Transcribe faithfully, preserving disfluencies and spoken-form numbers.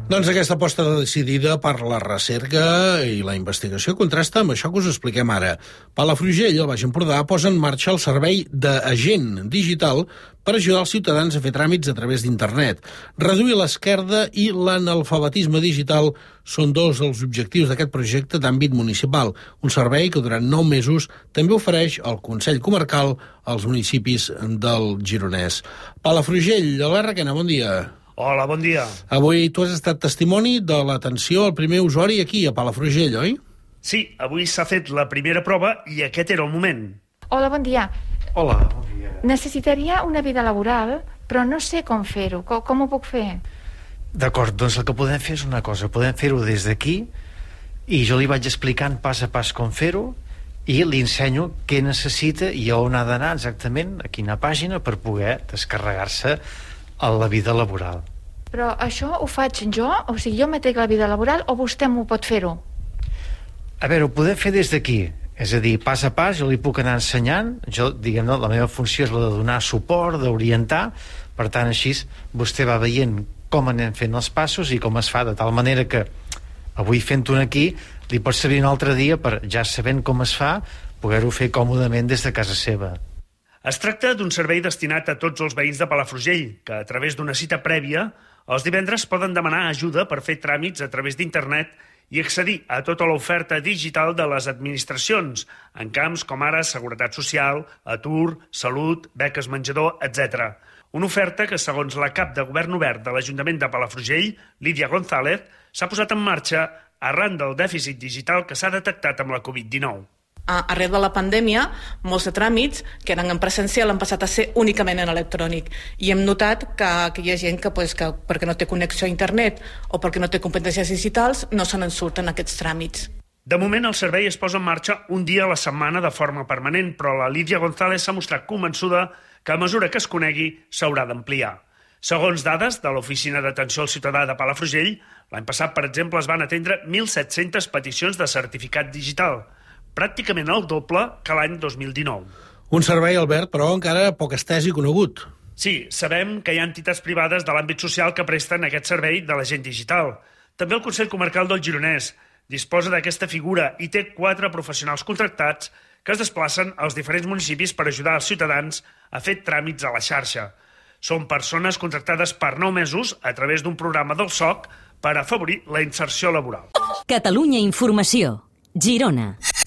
Doncs aquesta aposta decidida per la recerca i la investigació contrasta amb això que us expliquem ara. Palafrugell, al Baix Empordà, posa en marxa el servei d'agent digital per ajudar els ciutadans a fer tràmits a través d'internet. Reduir l'esquerda i l'analfabetisme digital són dos dels objectius d'aquest projecte d'àmbit municipal, un servei que durant nou mesos també ofereix el Consell Comarcal als municipis del Gironès. Palafrugell, Albert Requena, bon dia. Hola, bon dia. Avui tu has estat testimoni de l'atenció al primer usuari aquí, a Palafrugell, oi? Sí, avui s'ha fet la primera prova i aquest era el moment. Hola, bon dia. Hola, bon dia. Necessitaria una vida laboral, però no sé com fer-ho. Com, com ho puc fer? D'acord, doncs el que podem fer és una cosa. Podem fer-ho des d'aquí i jo li vaig explicant pas a pas com fer-ho i li ensenyo què necessita i on ha d'anar exactament, a quina pàgina, per poder descarregar-se a la vida laboral. Però això ho faig jo? O sigui, jo m'atrec la vida laboral o vostè m'ho pot fer-ho? A veure, ho podem fer des d'aquí. És a dir, pas a pas, jo li puc anar ensenyant. Jo, diguem-ne, la meva funció és la de donar suport, d'orientar. Per tant, així, vostè va veient com anem fent els passos i com es fa, de tal manera que avui fent-ho aquí li pot servir un altre dia per, ja sabent com es fa, poder-ho fer còmodament des de casa seva. Es tracta d'un servei destinat a tots els veïns de Palafrugell, que a través d'una cita prèvia, els divendres poden demanar ajuda per fer tràmits a través d'internet i accedir a tota l'oferta digital de les administracions, en camps com ara seguretat social, atur, salut, beques menjador, etcètera. Una oferta que, segons la cap de govern obert de l'Ajuntament de Palafrugell, Lídia González, s'ha posat en marxa arran del dèficit digital que s'ha detectat amb la covid dinou. Arrel de la pandèmia, molts de tràmits que eren en presencial han passat a ser únicament en electrònic i hem notat que, que hi ha gent que, pues, que perquè no té connexió a internet o perquè no té competències digitals no se n'en surten aquests tràmits. De moment el servei es posa en marxa un dia a la setmana de forma permanent, però la Lídia González s'ha mostrat convençuda que a mesura que es conegui s'haurà d'ampliar. Segons dades de l'Oficina d'Atenció al Ciutadà de Palafrugell, l'any passat, per exemple, es van atendre mil set-centes peticions de certificat digital, pràcticament el doble que l'any dos mil dinou. Un servei, Albert, però encara poc estès i conegut. Sí, sabem que hi ha entitats privades de l'àmbit social que presten aquest servei de l'agent digital. També el Consell Comarcal del Gironès disposa d'aquesta figura i té quatre professionals contractats que es desplacen als diferents municipis per ajudar els ciutadans a fer tràmits a la xarxa. Són persones contractades per nou mesos a través d'un programa del S O C per afavorir la inserció laboral. Catalunya Informació, Girona.